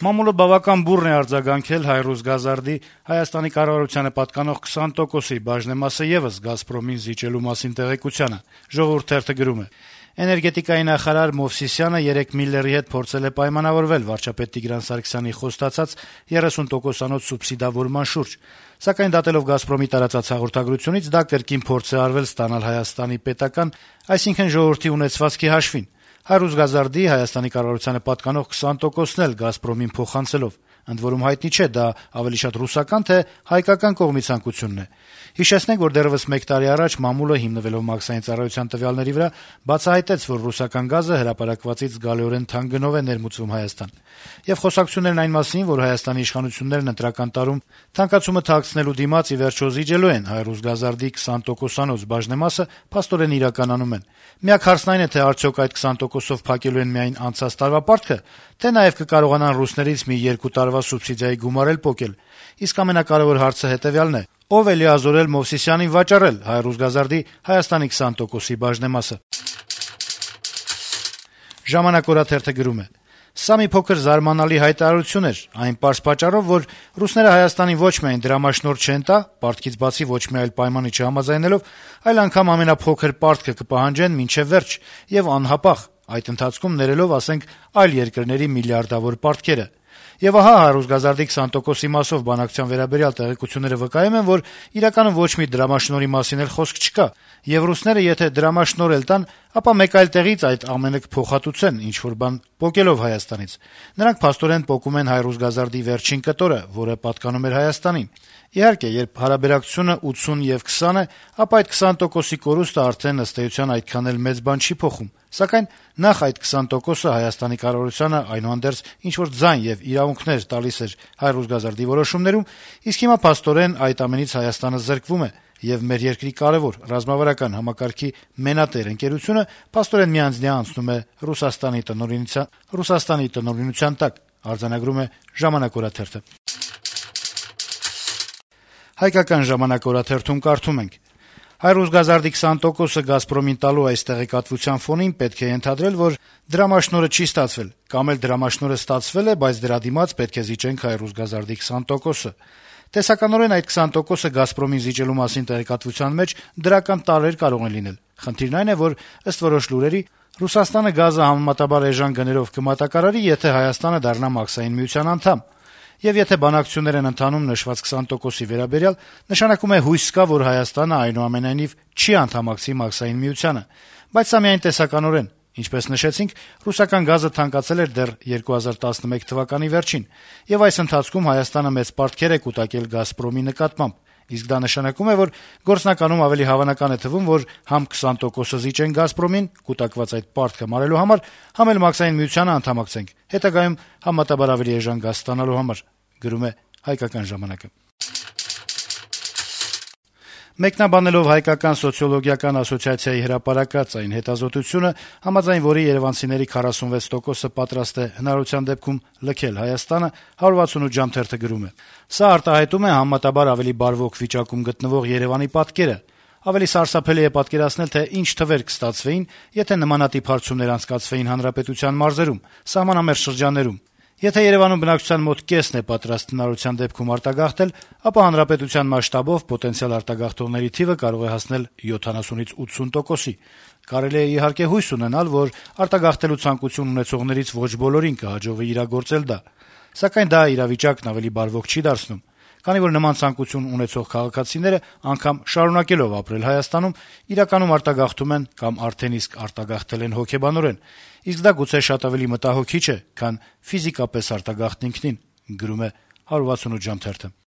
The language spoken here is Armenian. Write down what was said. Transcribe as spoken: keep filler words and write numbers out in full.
Մամուլը բավական բուռն է արձագանքել «Հայ-Ռուսգազարդի» Հայաստանի կառավարությանը պատկանող քսան տոկոսի բաժնեմասը եւս «Գազպրոմին» զիջելու մասին տեղեկությանը։ «Ժողովուրդ» թերթը գրում է. - «Էներգետիկայի նախարար Մովսիսյանը երեկ Միլլերի հետ փորձել է պայմանավորվել վարչապետ Տիգրան Սարգսյանի խոստացած երեսուն տոկոսանոց սուբսիդավորման շուրջ, սակայն դատելով «Գազպրոմի» տարածած հաղորդագրությունից դա կրկին փորձ է արվել ստանալ Հայաստանի պետական, այսինքն ժողովրդի ունեցվածքի հաշվին։ «Հայ-Ռուսգազարդի» Հայաստանի կառավարությանը պատկանող քսան տոկոսն էլ «Գազպրոմին» փոխանցելով։ Ընդ որում հայտնի չէ՝ դա ավելի շատ ռուսական, թե հայկական կողմի ցանկությունն է։ Հիշեցնենք, որ դեռեւս մեկ տարի առաջ մամուլը, հիմնվելով մաքսային ծառայության տվյալների վրա, բացահայտեց, որ ռուսական գազը հրապարակվածից զգալիորեն թանկ գնով է ներմուծվում Հայաստան։ Եվ խոսակցություններն այն մասին, որ Հայաստանի իշխանություններն ընտրական տարում թանկացումը թաքցնելու դիմաց ի վերջո զիջելու են «Հայ-Ռուսգազարդի» քսան տոկոսանոց բաժնեմասը, փաստորեն իրականանում են։ Միակ հարցն այն է, թե արդյոք այդ քսան տոկոսով փակելու են միայն անցած տարվա պարտքը, թե նաեւ կկարողանան ռուսներից մի երկու տարվա սուբսիդիայի գումար էլ պոկել։ Իսկ ամենակարեւոր հարցը հետեւյալն է. ով է լիազորել Մովսիսյանին վաճառել «Հայ-Ռուսգազարդի» Հայաստանի քսան տոկոսի բաժնեմասը։ «Ժամանակ» օրաթերթը գրում է. - «Սա մի փոքր զարմանալի հայտարարություն էր, այն պարզ պատճառով, որ ռուսները Հայաստանին ոչ միայն դրամաշնորհ չեն տա, պարտքից բացի ոչ մի այլ պայմանի չհամաձայնելով, այլ անգամ ամենափոքր պարտքը կպահանջեն մինչեւ վերջ եւ անհապաղ, այդ ընթացքում ներելով, ասենք, այլ երկրների միլիարդավոր պարտքերը։ Եվ ահա «Հայ-Ռուսգազարդի» քսան տոկոսի մասով բանակցության վերաբերյալ տեղեկությունները վկայում են, որ իրականում ոչ մի դրամաշնորհի մասին էլ խոսք չկա, եւ ռուսները եթե դրամաշնորհ էլ տան, ապա մեկ այլ տեղից այդ ամենը կփոխհատուցեն ինչ-որ բան պոկելով Հայաստանից։ Նրանք փաստորեն պոկում են «Հայ-Ռուսգազարդի» վերջին կտորը, որը պատկանում էր Հայաստանին։ Իհարկե, երբ հարաբերակցությունը ութսուն եւ քսան է, ապա այդ քսան տոկոսի կորուստը արդեն ըստ էության այդքան էլ մեծ բան չի փոխում։ Սակայն նախ այդ քսան տոկոսը Հայաստանի կառավարությանը այնուհանդերձ ինչ-որ ձայն եւ իրավունքներ տալիս էր «Հայ-Ռուսգազարդի» որոշումներում, իսկ հիմա փաստորեն այդ ամենից Հայաստանը զրկվում է, եւ մեր երկրի կարեւոր ռազմավարական համակարգի մենատեր ընկերությունը փաստորեն միանձնյա անցնում է Ռուսաստանի տնօրինության Ռուսաստանի տնօրինության տակ, արձանագրում է «Ժամանակ» օրաթերթը։ «Հայկական ժամանակ» օրաթերթում կարդում ենք. - «Հայ-Ռուսգազարդի քսան տոկոսը «Գազպրոմին» տալու այս տեղեկատվության ֆոնին պետք է ենթադրել, որ դրամաշնորհը չի ստացվել, կամ էլ դրամաշնորհը ստացվել է, բայց դրա դիմաց պետք է զիջենք «Հայ-Ռուսգազարդի» քսան տոկոսը։ Տեսականորեն այդ քսան տոկոսը «Գազպրոմին» զիջելու մասին տեղեկատվության մեջ դրական տարրեր կարող են լինել։ Խնդիրն այն է, որ ըստ որոշ լուրերի Ռուսաստանը գազը համեմատաբար էժան գներով կմատակարարի, եթե Հայաստանը դառնա մաքսային միության անդամ։ Եվ եթե բանակցություններ են ընթանում նշված քսան տոկոսի վերաբերյալ, նշանակում է հույս կա, որ Հայաստանը այնուամենայնիվ չի անդամակցի մաքսային միությանը, բայց սա միայն տեսականորեն։ Ինչպես նշեցինք, ռուսական գազը թանկացել էր դեռ երկու հազար տասնմեկ թվականի վերջին, եւ այս ընթացքում Հայաստանը մեծ պարտքեր է կուտակել «Գազպրոմի» նկատմամբ։ Իսկ դա նշանակում է, որ գործնականում ավելի հավանական է թվում, որ համ քսան տոկոսը զիջեն «Գազպրոմին» կուտակված այդ պարտքը մարելու համար, համ էլ մաքսային միությանը անդամակցենք, հետագայում համեմատաբար ավելի էժան գազ ստանալու համար, գրում է «Հայկական ժամանակը»։ Մեկնաբանելով Հայկական սոցիոլոգիական ասոցիացիայի հրապարակած այն հետազոտությունը, համաձայն որի երեւանցիների քառասունվեց տոկոսը պատրաստ է հնարավորության դեպքում լքել Հայաստանը, հարյուր վաթսունութ ժամ թերթը գրում է. - «Սա արտահայտում է համեմատաբար ավելի բարվոք վիճակում գտնվող Երեւանի պատկերը։ Ավելի սարսափելի է պատկերացնել, թե ինչ թվեր կստացվեին, եթե նմանատիպ հարցումներ անցկացվեին հանրապետության մարզերում, սահմանամերձ շրջաններում։ Եթե Երեւանում բնակչության մոտ կեսն է պատրաստ հնարավորության դեպքում արտագաղթել, ապա հանրապետության մասշտաբով պոտենցիալ արտագաղթողների թիվը կարող է հասնել յոթանասունից ութսուն տոկոսի։ Կարելի է իհարկե հույս ունենալ, որ արտագաղթելու ցանկություն ունեցողներից ոչ բոլորին կհաջողվի իրագործել դա, սակայն դա իրավիճակն ավելի բարվոք չի դարձնում, քանի որ նման ցանկություն ունեցող քաղաքացիները անգամ շարունակելով ապրել Հայաստանում, իրականում արտագաղթում են կամ արդեն իսկ արտագաղթել են հոգեբանորեն, իսկ դա գուցե շատ ավելի մտահոգիչ է, քան ֆիզիկապես արտագաղթն ինքնին, գրում է հարյուր վաթսունութ ժամ թերթը»։